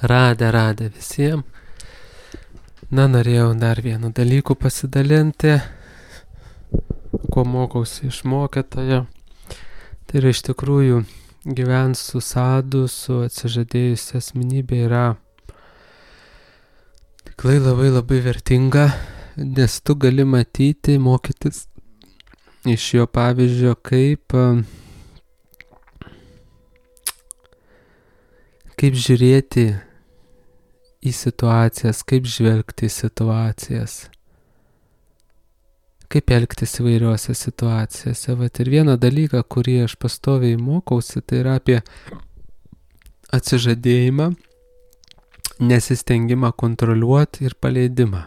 Radę visiems. Norėjau dar vienu dalyku pasidalinti, ko mokausi iš mokytojo. Tai yra iš tikrųjų gyventi su sadu, su atsižadėjusia asmenybė yra tikrai labai vertinga, nes tu gali matyti, mokytis iš jo pavyzdžio, kaip žiūrėti į situacijas, kaip žvelgti į situacijas, kaip elgtis įvairiuose situacijose. Vat ir vieną dalyką, kurį aš pastoviai mokausi, tai yra apie atsižadėjimą, nesistengimą kontroliuoti ir paleidimą.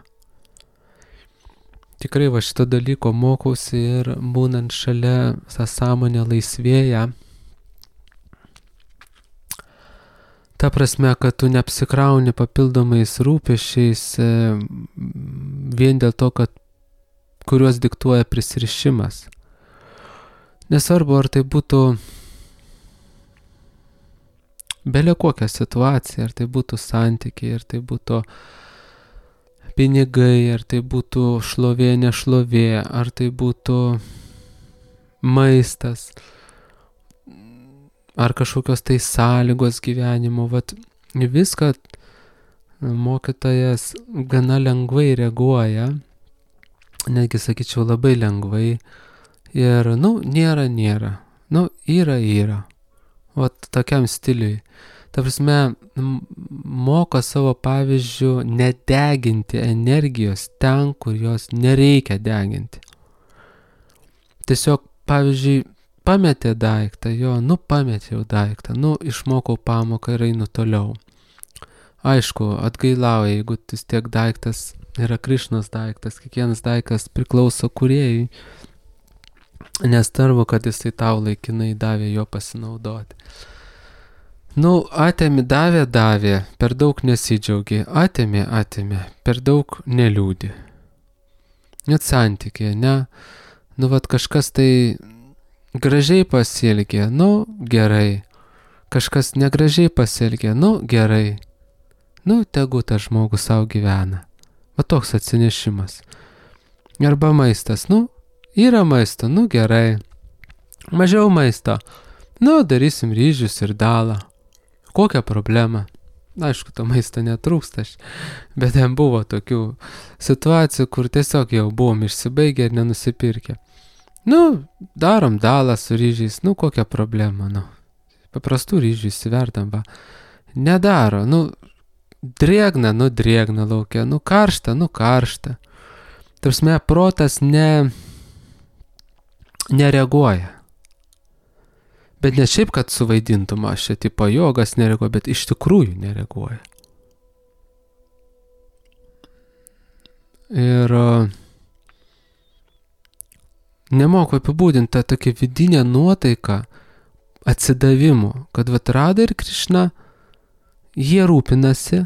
Tikrai va šito dalyko mokausi ir būnant šalia tą sąmonę laisvėja. Ta prasme, kad tu neapsikrauni papildomais rūpesčiais vien dėl to, kad kuriuos diktuoja prisirišimas. Nesvarbu, ar tai būtų bele kokia situacija, ar tai būtų santykiai, ar tai būtų pinigai, ar tai būtų šlovė, nešlovė, ar tai būtų maistas, ar kažkokios tai sąlygos gyvenimo. Vat viską mokytojas gana lengvai reaguoja, netgi sakyčiau labai lengvai. Ir, nėra. Yra. Vat tokiam stiliui. Ta prasme, moka savo pavyzdžių nedeginti energijos ten, kur jos nereikia deginti. Tiesiog, pavyzdžiui, pametė daiktą, pametėjau daiktą, išmokau pamoką ir einu toliau. Aišku, atgailauja, jeigu vis tiek daiktas yra Krišnos daiktas, kiekvienas daiktas priklauso kūrėjui, nesvarbu, kad jisai tau laikinai davė jo pasinaudoti. Atėmė, davė, per daug nesidžiaugi, atėmė, per daug neliūdi. Net santykiai, ne? Vat kažkas tai gražiai pasielgė, gerai. Kažkas negražiai pasielgė, gerai. Tegu tas žmogus savo gyvena. Va toks atsinešimas. Arba maistas, yra maisto, gerai. Mažiau maisto, darysim ryžius ir dalą. Kokia problema? Aišku, to maisto netrūksta, bet ten buvo tokių situacijų, kur tiesiog jau buvom išsibaigę ir nenusipirkę. Darom dalą su ryžiais, kokia problema, paprastų ryžių įsiverdam, va. Nedaro, drėgna laukia, karšta. Tarsme, protas nereaguoja. Bet ne šiaip, kad suvaidintum, aš čia tipo jogas nereaguoja, bet iš tikrųjų nereaguoja. Ir nemoku apibūdinti tą tokią vidinę nuotaiką atsidavimo, kad Rada ir Krišna, jie rūpinasi,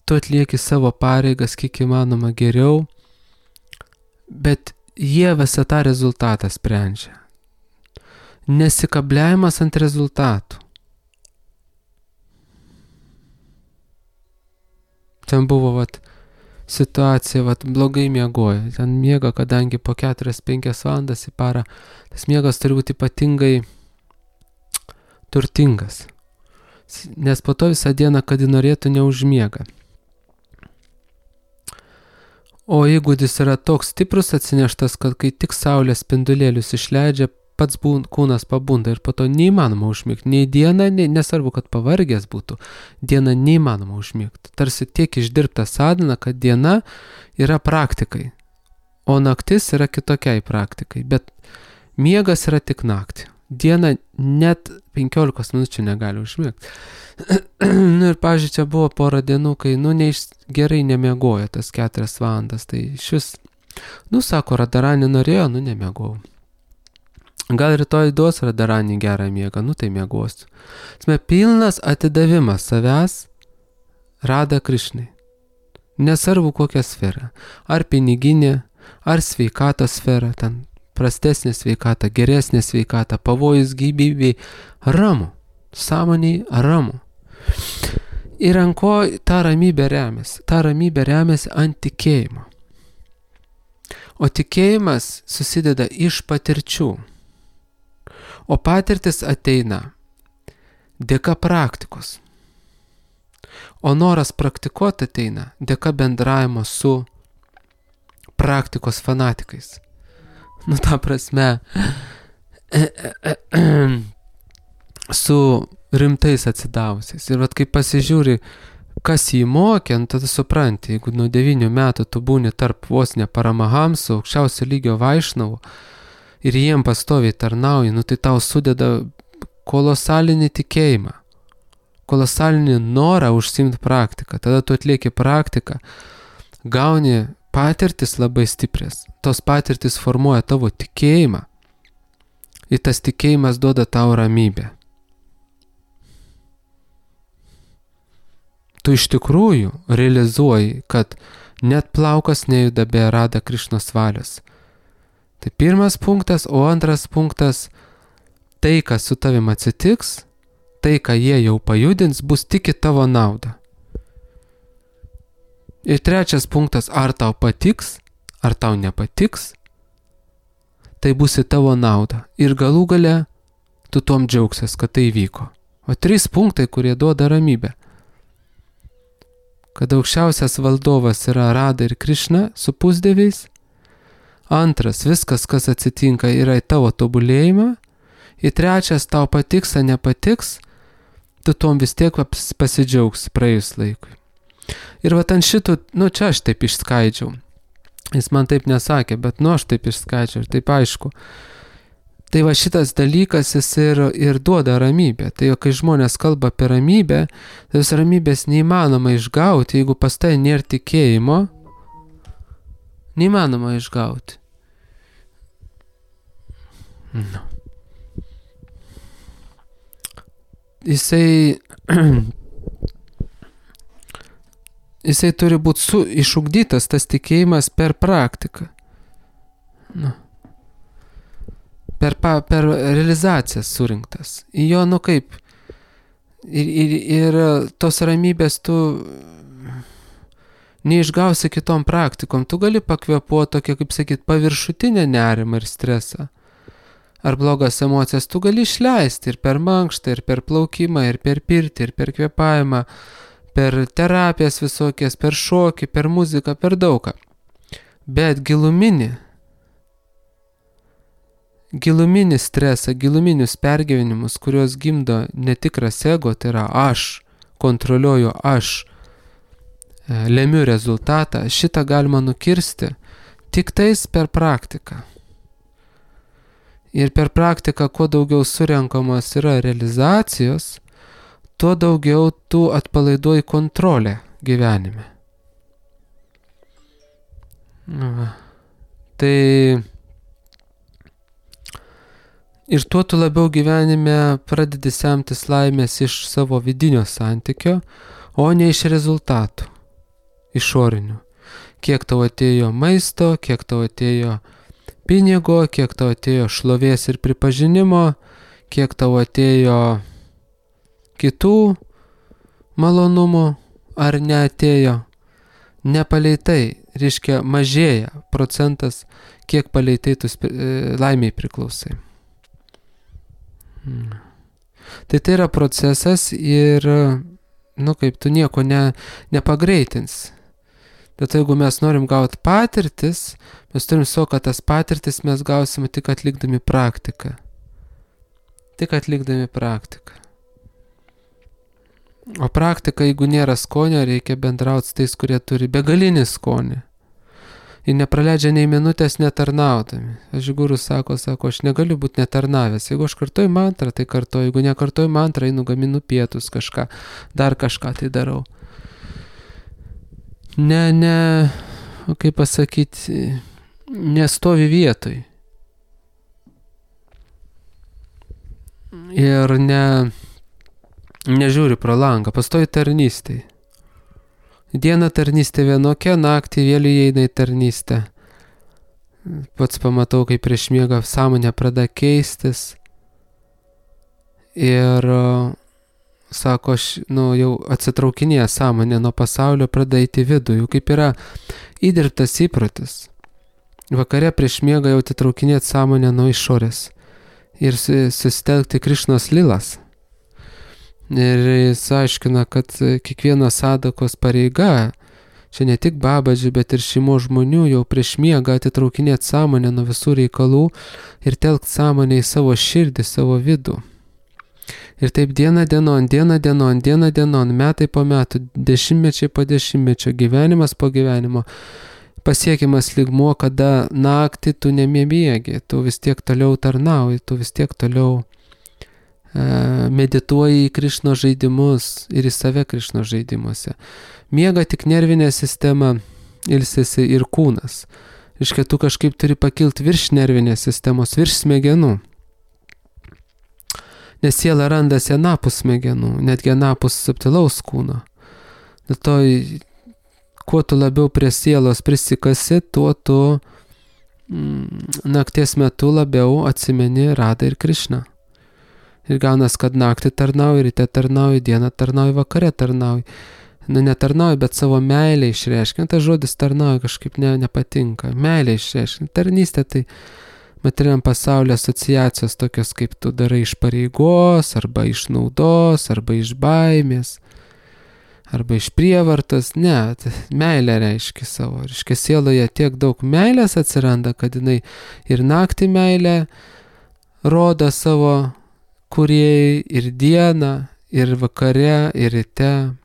tu atlieki savo pareigas kiek įmanoma geriau, bet jie visą tą rezultatą sprendžia. Nesikabliavimas ant rezultatų. Ten buvo situacija, blogai miegojo. Ten miega, kadangi po 4-5 valandas į parą, tas miegas turi būti ypatingai turtingas. Nes po to visą dieną, kad norėtų, neužmiega. O įgūdis yra toks stiprus atsineštas, kad kai tik saulės spindulėlius išleidžia, pats kūnas pabunda ir po to neįmanoma užmigti. Nei dieną, nesvarbu, kad pavargęs būtų, dieną neįmanoma užmigti. Tarsi tiek išdirbta sadhana, kad diena yra praktikai, o naktis yra kitokiai praktikai. Bet miegas yra tik naktį. Diena net 15 minučių negali užmigti. Ir pavyzdžiui, čia buvo porą dienų, kai gerai nemiegojo tas 4 valandas. Tai šis, sako, Radharani norėjo, nemiegojau. Gal rytoj duos Radharani gerą miegą, tai miegosiu. Pilnas atidavimas savęs Rada Krišnai. Nesvarbu kokią sferą. Ar piniginė, ar sveikatos sfera, ten prastesnė sveikata, geresnė sveikata, pavojus gyvybei, ramu. Sąmoniai ramu. Ir ant ko ta ramybė remiasi? Ta ramybė remiasi ant tikėjimo. O tikėjimas susideda iš patirčių. O patirtis ateina dėka praktikos. O noras praktikuoti ateina dėka bendravimo su praktikos fanatikais. Nu, ta prasme, su rimtais atsidavusiais. Ir vat kai pasižiūri, kas jį mokė, tada supranti, jeigu nuo 9 metų tu būni tarp vos ne paramahamsų, aukščiausio lygio vaišnavų, ir jiem pastoviai tarnauji, nu tai tau sudeda kolosalinį tikėjimą, kolosalinį norą užsiimti praktiką. Tada tu atlieki praktiką, gauni patirtis labai stiprias. Tos patirtis formuoja tavo tikėjimą. Ir tas tikėjimas duoda tau ramybę. Tu iš tikrųjų realizuoji, kad net plaukas nejuda be Rada Krišnos valios. Tai pirmas punktas, o antras punktas, tai, kas su tavim atsitiks, tai, ką jie jau pajudins, bus tik į tavo naudą. Ir trečias punktas, ar tau patiks, ar tau nepatiks, tai bus į tavo naudą. Ir galų gale tu tom džiaugsies, kad tai vyko. O 3 punktai, kurie duoda ramybę. Kad aukščiausias valdovas yra Rada ir Krišna su pusdieviais. Antras, viskas, kas atsitinka, yra į tavo tobulėjimą. Ir trečias, tau patiks, ar nepatiks, tu tom vis tiek pasidžiaugs praėjus laikui. Ir vat ant šitų, nu čia aš taip išskaidžiau. Jis man taip nesakė, bet nu aš taip išskaidžiau ir taip aišku. Tai va šitas dalykas jis ir duoda ramybę. Tai kai žmonės kalba apie ramybę, tai vis ramybės neįmanoma išgauti, jeigu pas tai nėra tikėjimo. Neįmanoma išgauti. No. Jisai turi būti išugdytas, tas tikėjimas per praktiką. No. Per realizacijas surinktas. Į jo, nu kaip, ir tos ramybės tu neišgausi kitom praktikom. Tu gali pakvėpuoti tokia, kaip sakyt, paviršutinę nerimą ir stresą. Ar blogas emocijas tu gali išleisti ir per mankštą, ir per plaukimą, ir per pirtį, ir per kvėpavimą, per terapijas visokias, per šokį, per muziką, per daugą. Bet giluminį stresą, giluminius pergyvenimus, kuriuos gimdo netikras ego, tai yra aš kontroliuoju, aš lemiu rezultatą, šitą galima nukirsti tik tais per praktiką. Ir per praktiką, kuo daugiau surenkamos yra realizacijos, tuo daugiau tu atpalaiduoji kontrolę gyvenime. Tai ir tuo tu labiau gyvenime pradedi semtis laimės iš savo vidinio santykio, o ne iš rezultatų išorinių. Kiek tau atėjo maisto, kiek tau atėjo pinigo, kiek tau atėjo šlovės ir pripažinimo, kiek tau atėjo kitų malonumų, ar neatėjo. Nepaleitai, reiškia mažėja procentas, kiek paleitai tu laimiai priklausai. Tai yra procesas ir, nu kaip, tu nieko nepagreitins. Bet jeigu mes norim gauti patirtis, mes turim kad tas patirtis mes gausime tik atlikdami praktiką. Tik atlikdami praktiką. O praktika, jeigu nėra skonio, reikia bendrauti su tais, kurie turi begalinį skonį. Ir nepraleidžia nei minutės netarnaudami. Žigurus sako, aš negaliu būti netarnavęs. Jeigu aš kartuoju mantrą, tai kartuoju. Jeigu nekartuoju mantrą, einu gaminu pietus kažką, dar kažką tai darau. Kaip pasakyti, nestovi vietoj. Ir nežiūri pro langą, pastoji tarnystėj. Dieną tarnystė vienokia, naktį vėl įeina į tarnystę. Pats pamatau, kaip prieš miegą sąmonė pradeda keistis. Ir sako, jau atsitraukinėja sąmonė nuo pasaulio, pradeda eiti vidų, jau kaip yra įdirbtas įprotis. Vakare prieš miegą jau atitraukinėti sąmonę nuo išorės ir susitelkti Krišnos lilas. Ir jis aiškina, kad kiekvieno sadakos pareiga, čia ne tik babadžių, bet ir šeimos žmonių, jau prieš miegą atitraukinėti sąmonę nuo visų reikalų ir telkti sąmonę į savo širdį, savo vidų. Ir taip diena dienon, metai po metų, dešimtmečiai po dešimtmečio, gyvenimas po gyvenimo, pasiekiamas lygmuo, kada naktį tu nemiegi, tu vis tiek toliau tarnauji, tu vis tiek toliau medituoji į Krišnos žaidimus ir į save Krišnos žaidimuose. Miega tik nervinė sistema, ilsisi ir kūnas. Reiškia, tu kažkaip turi pakilti virš nervinės sistemos, virš smegenų. Nes siela randasi anapus smegenų, netgi anapus subtilaus kūno. Dėl to, kuo tu labiau prie sielos prisikasi, tuo tu nakties metu labiau atsimeni Radą ir Krišną. Ir gaunas, kad naktį tarnauji, ryte tarnauji, dieną tarnauji, vakare tarnauji. Netarnauji, bet savo meilę išreiškia. Tas žodis tarnauji kažkaip nepatinka. Meilę išreiškia. Tarnystė tai materialiam pasaulio asociacijos tokios, kaip tu darai iš pareigos, arba iš naudos, arba iš baimės, arba iš prievartos. Ne, meilę reiškia savo. Reiškia, sieloje tiek daug meilės atsiranda, kad jinai ir naktį meilę rodo savo kūrėjai, ir dieną, ir vakare, ir ryte.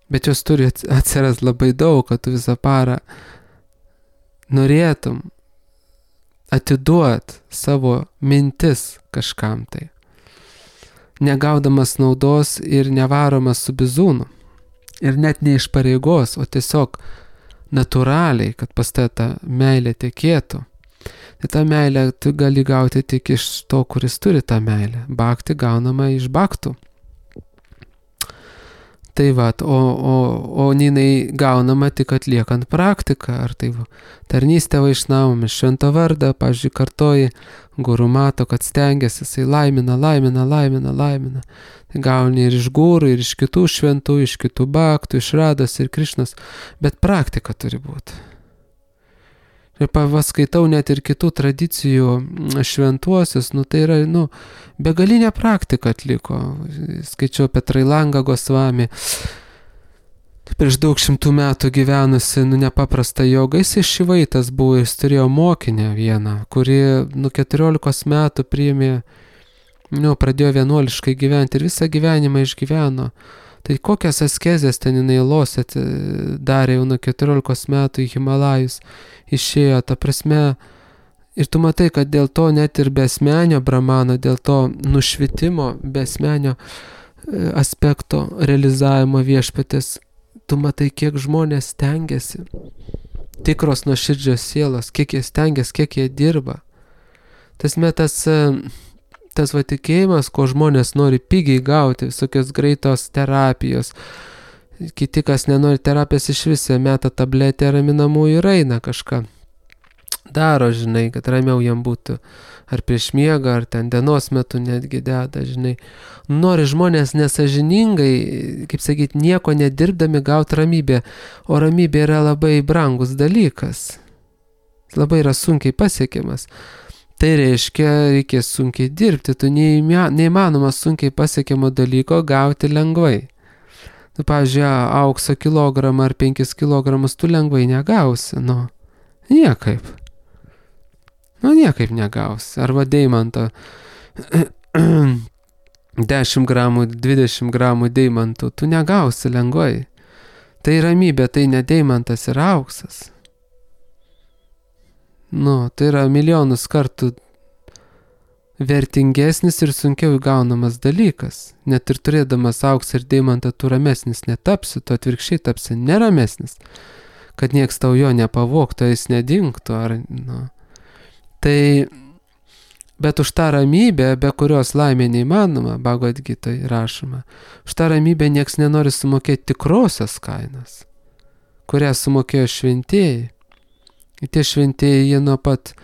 Bet jos turi atsiras labai daug, kad tu visą parą norėtum atiduot savo mintis kažkam tai. Negaudamas naudos ir nevaromas su bizūnu. Ir net ne iš pareigos, o tiesiog natūraliai, kad pas ta meilė tekėtų. Tai tą meilę tu gali gauti tik iš to, kuris turi tą meilę. Bhakti gaunama iš bhaktų. Tai o jinai gaunama tik atliekant praktiką. Ar tai tarnystė vaišnavome, švento vardą, pavyzdžiui, kartoji, guru mato, kad stengiasi, jisai laimina. Tai gauni ir iš gurų, ir iš kitų šventų, iš kitų bhaktų, iš Rados ir Krišnos. Bet praktika turi būti. Ir paskaitau net ir kitų tradicijų šventuosius, tai yra, begalinė praktika atliko. Skaičiau apie Trailangą Gosvami, prieš daug šimtų metų gyvenusi, nepaprasta joga. Jis Šivaitas buvo, jis turėjo mokinę vieną, kuri 14 metų priėmė, pradėjo vienuoliškai gyventi ir visą gyvenimą išgyveno. Tai kokias askezės ten jinai losė darė jau nuo 14 metų į Himalajus išėjo, ta prasme, ir tu matai, kad dėl to net ir besmenio brahmano, dėl to nušvitimo, besmenio aspekto realizavimo viešpatės, tu matai, kiek žmonės stengiasi, tikros nuoširdžios sielos, kiek jie stengiasi, kiek jie dirba. Tas tikėjimas, ko žmonės nori pigiai gauti, visokios greitos terapijos. Kiti, kas nenori terapijos iš viso, meta tabletę raminamųjų ir eina kažką. Daro, žinai, kad ramiau jam būtų. Ar prieš miegą, ar ten dienos metu netgi deda, žinai. Nori žmonės nesažiningai, kaip sakyti, nieko nedirbdami gauti ramybę. O ramybė yra labai brangus dalykas. Labai yra sunkiai pasiekiamas. Tai reiškia, reikės sunkiai dirbti, tu neįmanoma sunkiai pasiekiamo dalyko gauti lengvai. Pavyzdžiui, aukso kilogramą ar 5 kilogramus tu lengvai negausi, niekaip. Niekaip negausi. Arba deimanto 10 gramų, 20 gramų deimantų tu negausi lengvai. Tai ramybė, tai ne deimantas ir auksas. Tai yra milijonus kartų vertingesnis ir sunkiau įgaunamas dalykas. Net ir turėdamas auksą ir deimantą tu ramesnis netapsi, tu atvirkščiai tapsi neramesnis, kad nieks tau jo nepavogtų, jis nedingtų. Tai, bet už tą ramybę, be kurios laimė neįmanoma, Bhagavad Gitoje rašoma, už tą ramybę nieks nenori sumokėti tikrosios kainos, kurią sumokėjo šventieji. Tie šventieji, jie nuo pat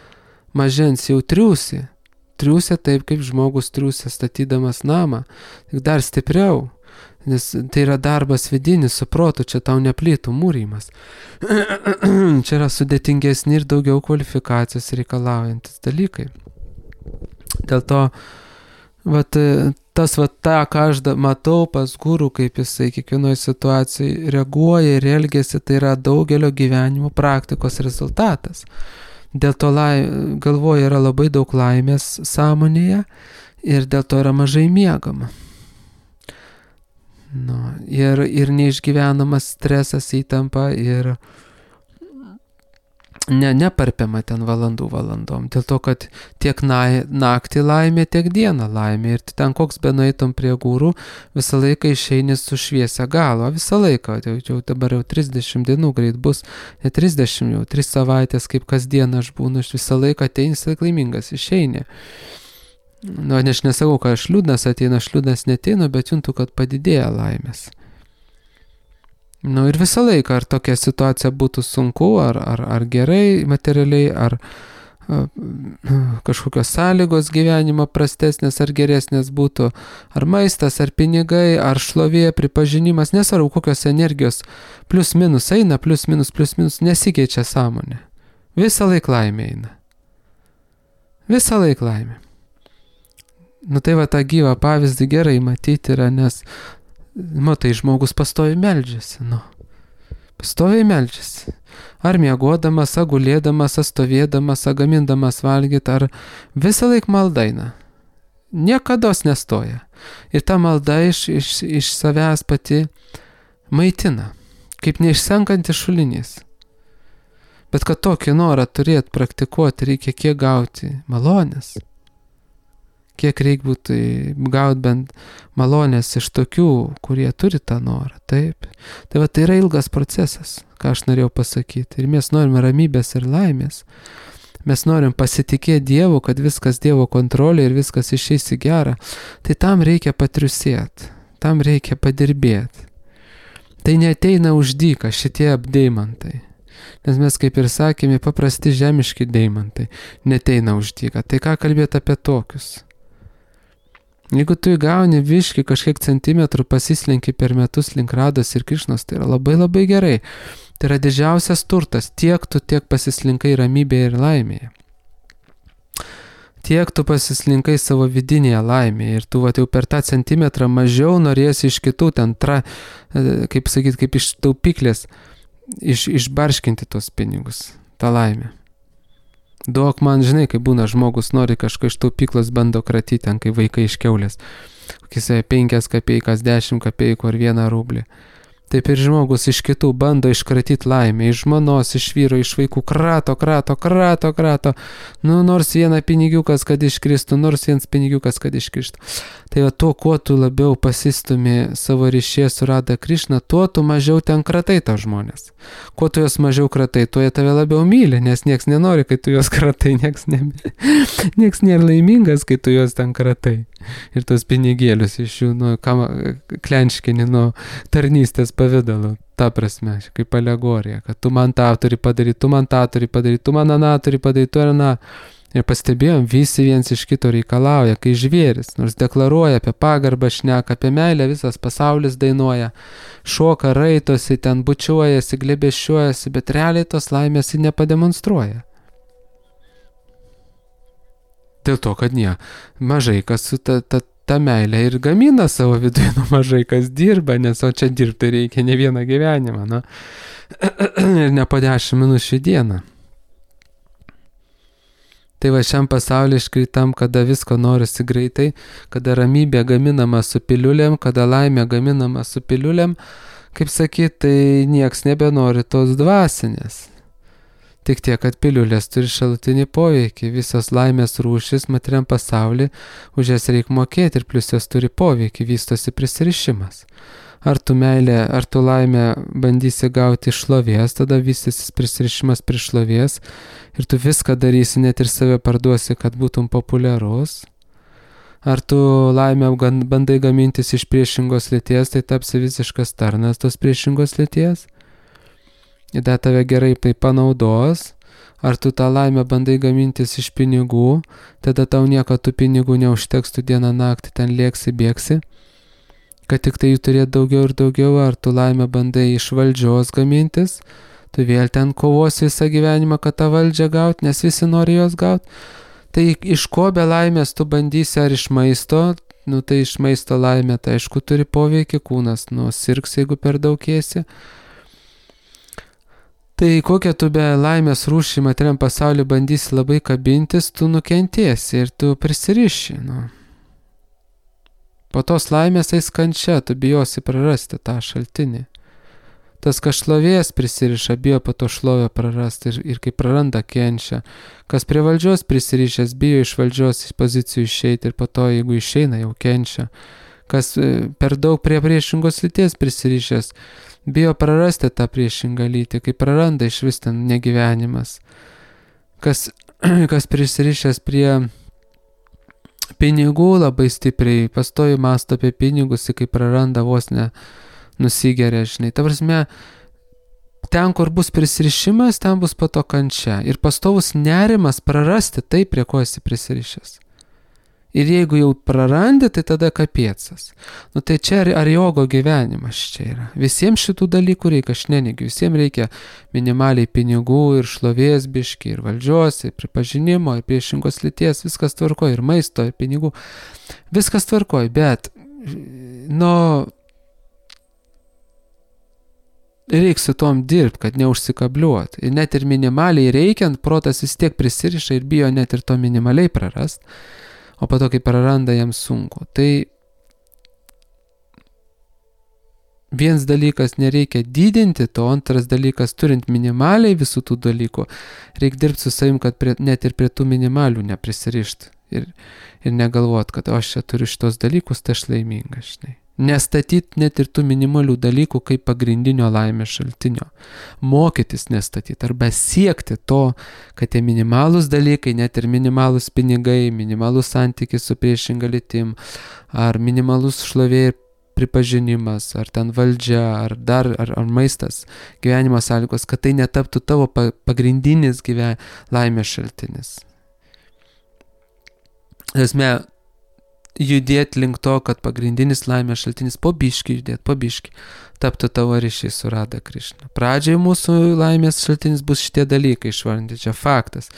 mažens jau triūsi, triūsia taip, kaip žmogus triūsia statydamas namą. Tik dar stipriau. Nes tai yra darbas vidinis su protu, čia tau ne plytų mūrymas. Čia yra sudėtingesni ir daugiau kvalifikacijos reikalaujantis dalykai. Dėl to, tą, ką aš matau pas gurų, kaip jisai kiekvienoje situacijoje reaguoja ir elgiasi, tai yra daugelio gyvenimo praktikos rezultatas. Dėl to galvoje yra labai daug laimės sąmonėje ir dėl to yra mažai miegama. Ir neišgyvenamas stresas, įtampa ir neparpiama ten valandom. Dėl to, kad tiek naktį laimė, tiek dieną laimė. Ir ten koks benueitum prie gurų, visą laiką išeini su šviesia galva. Visą laiką. Jau dabar jau 30 dienų greit bus. Ne 30, jau 3 savaitės, kaip kasdien aš būnu. Aš visą laiką ateini, laimingas išeini. Aš nesakau, kad aš liūdnas neteinu, bet juntu, kad padidėja laimės. Ir visą laiką, ar tokia situacija būtų sunku, ar gerai materialiai, ar kažkokios sąlygos gyvenimo prastesnės ar geresnės būtų, ar maistas, ar pinigai, ar šlovė, pripažinimas, nesvarbu, kokios energijos plius minus eina, plius minus, nesikeičia sąmonė. Visą laiką laimė eina. Visą laiką laimė. Tai tą gyvą pavyzdį gerai matyti yra, nes matai, žmogus pastoviai meldžiasi, pastoviai meldžiasi. Ar miegodamas, ar gulėdamas, ar stovėdamas, ar gamindamas valgyti, ar visą laiką maldaina. Niekados nestoja. Ir ta malda iš savęs pati maitina, kaip neišsenkantis šulinys. Bet kad tokį norą turėti, praktikuoti, reikia kiek gauti malonės. Kiek reikia būtų gauti bent malonės iš tokių, kurie turi tą norą, taip. Tai yra ilgas procesas, ką aš norėjau pasakyti. Ir mes norime ramybės ir laimės. Mes norim pasitikėti Dievu, kad viskas Dievo kontrolė ir viskas išeis į gerą. Tai tam reikia patriusėti, tam reikia padirbėti. Tai neateina už dyką šitie deimantai. Nes mes, kaip ir sakėme, paprasti žemiški deimantai neateina už dyką. Tai ką kalbėti apie tokius? Jeigu tu įgauni viškį kažkiek centimetrų, pasislenki per metus link Rados ir Krišnos, tai yra labai labai gerai. Tai yra didžiausias turtas, tiek tu pasislinkai ramybėje ir laimėje. Tiek tu pasislinkai savo vidinėje laimėje ir tu jau per tą centimetrą mažiau norėsi iš kitų ten, kaip iš taupyklės, išbarškinti tos pinigus, tą laimę. Duok man, žinai, kai būna žmogus nori kažką iš taupyklos bando kratyti, ten kai vaikai iš kiaulės, kokiais 5 kapeikas, 10 kapeikų ar 1 rublį. Taip ir žmogus iš kitų bando iškratyti laimę, iš žmonos, iš vyro, iš vaikų, krato. Nors 1 pinigiukas, kad iškristų, nors 1 pinigiukas, kad iškristų. Tai tuo, kuo tu labiau pasistumi savo ryšį su Rada Krišna, tuo tu mažiau ten kratai tą žmonės. Kuo tu juos mažiau kratai, tuo jie tave labiau myli, nes nieks nenori, kai tu juos kratai, nieks nėra laimingas, kai tu juos ten kratai. Ir tos pinigėlius iš jų, klenškini nuo tarnystės pavidalo, ta prasme, kaip alegorija, kad tu man tą turi padaryti, tu man tą turi padaryti, tu man aną turi padaryti, tu ar aną. Ir pastebėjom, visi viens iš kito reikalauja, kai žvėris, nors deklaruoja apie pagarbą, šneka apie meilę, visas pasaulis dainuoja, šoka, raitosi, ten bučiuojasi, glėbesčiuojasi, bet realiai tos laimės jį nepademonstruoja. Dėl to, kad mažai kas su ta meilė ir gamina savo viduje, mažai kas dirba, nes o čia dirbti reikia ne vieną gyvenimą, ir ne po 10 minučių į dieną. Tai šiam pasaulyje iškritam, kada visko norisi greitai, kada ramybė gaminama su piliulėm, kada laimė gaminama su piliulėm, kaip sakyt, tai nieks nebenori tos dvasinės. Tik tiek, kad piliulės turi šalutinį poveikį, visos laimės rūšis materiam pasaulyje, už jas reikia mokėti ir plus jos turi poveikį, vystosi prisirišimas. Ar tu meilę, ar tu laimę bandysi gauti iš šlovės, tada vystysis prisirišimas prie šlovės ir tu viską darysi, net ir save parduosi, kad būtum populiarus. Ar tu laimę bandai gamintis iš priešingos lyties, tai tapsi visiškas tarnas tos priešingos lyties. Ir tave gerai tai panaudos. Ar tu tą laimę bandai gamintis iš pinigų, tada tau nieko tų pinigų neužteks, tu dieną naktį ten lėksi, bėgsi, kad tik tai jų turėt daugiau ir daugiau, ar tu laimę bandai iš valdžios gamintis, tu vėl ten kovosi visą gyvenimą, kad tą valdžią gaut, nes visi nori jos gaut. Tai iš ko be laimės tu bandysi, ar iš maisto, tai iš maisto laimė, tai aišku turi poveikį, kūnas sirgs, jeigu per daug ėsi. Tai kokią tu be laimės rūšį materiam pasaulyje bandysi labai kabintis, tu nukentėsi ir tu prisiriši. Po tos laimės eis kančia, tu bijosi prarasti tą šaltinį. Tas, kas šlovės prisiriša, bijo po to šlovę prarasti ir kai praranda, kenčia. Kas prie valdžios prisirišęs, bijo iš valdžios pozicijų išeiti ir po to, jeigu išeina, jau kenčia. Kas per daug prie priešingos lyties prisirišęs, bijo prarasti tą priešingą lytį, kai praranda iš vis ten negyvenimas. Kas prisirišęs prie pinigų labai stipriai, pastoji mąsto apie pinigus, kai praranda vos nusigeria, žinai. Ta prasme, ten, kur bus prisirišimas, ten bus po to kančia. Ir pastovus nerimas prarasti tai, prie ko esi prisirišęs. Ir jeigu jau prarandi, tai tada kapiecas. Tai čia ar jogo gyvenimas čia yra. Visiems šitų dalykų reikia, aš neneigiu. Visiems reikia minimaliai pinigų ir šlovės biški, ir valdžios, ir pripažinimo, ir priešingos lyties, viskas tvarkoj, ir maisto, ir pinigų. Viskas tvarkoj, bet, reikia su tom dirbti, kad neužsikabliuot. Ir net ir minimaliai reikiant, protas vis tiek prisiriša ir bijo net ir to minimaliai prarast. O po to, kai praranda, jam sunku. Tai vienas dalykas nereikia didinti to, antras dalykas turint minimaliai visų tų dalykų, reikia dirbti su savim, kad net ir prie tų minimalių neprisirišti. Ir negalvot, kad aš čia turiu šitos dalykus, tai aš laimingas, žinai. Nestatyti net ir tų minimalių dalykų kaip pagrindinio laimės šaltinio. Mokytis nestatyti arba siekti to, kad tie minimalūs dalykai, net ir minimalūs pinigai, minimalūs santykis su priešinga lytim, ar minimalus šlovė ir pripažinimas, ar ten valdžia, ar maistas, gyvenimo sąlygos, kad tai netaptų tavo pagrindinis laimės šaltinis. Esmė, judėti link to, kad pagrindinis laimės šaltinis po biškį taptų tavo ryšiai su Radha Krišna. Pradžiai mūsų laimės šaltinis bus šitie dalykai išvardinti, čia faktas.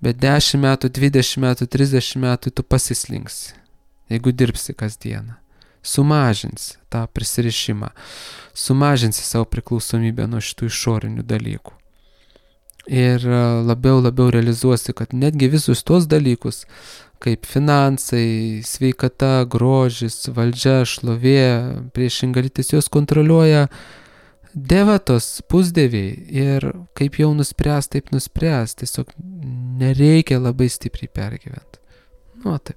Bet 10 metų, 20 metų, 30 metų tu pasislinksi, jeigu dirbsi kasdieną. Sumažinsi tą prisirišimą, sumažinsi savo priklausomybę nuo šitų išorinių dalykų. Ir labiau realizuosi, kad netgi visus tos dalykus, kaip finansai, sveikata, grožis, valdžia, šlovė, priešinga lytis, jos kontroliuoja devatos, pusdieviai. Ir kaip jau nuspręs, taip nuspręs. Tiesiog nereikia labai stipriai pergyventi. Taip.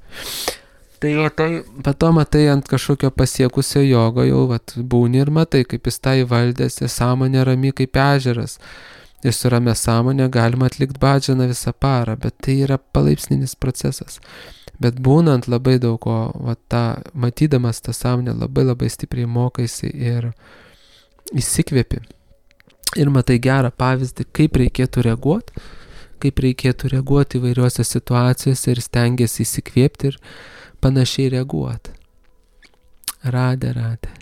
Tai pato matai ant kažkokio pasiekusio jogo, jau būni ir matai, kaip jis tai valdėsi, sąmonė rami kaip ežeras. Ir su ramia sąmonė galima atlikti bhadžaną visą parą, bet tai yra palaipsninis procesas. Bet būnant labai daug ko, matydamas tą sąmonę, labai stipriai mokaisi ir įsikvėpi. Ir matai gerą pavyzdį, kaip reikėtų reaguoti įvairiuose situacijose ir stengiasi įsikvėpti ir panašiai reaguoti. Radhe.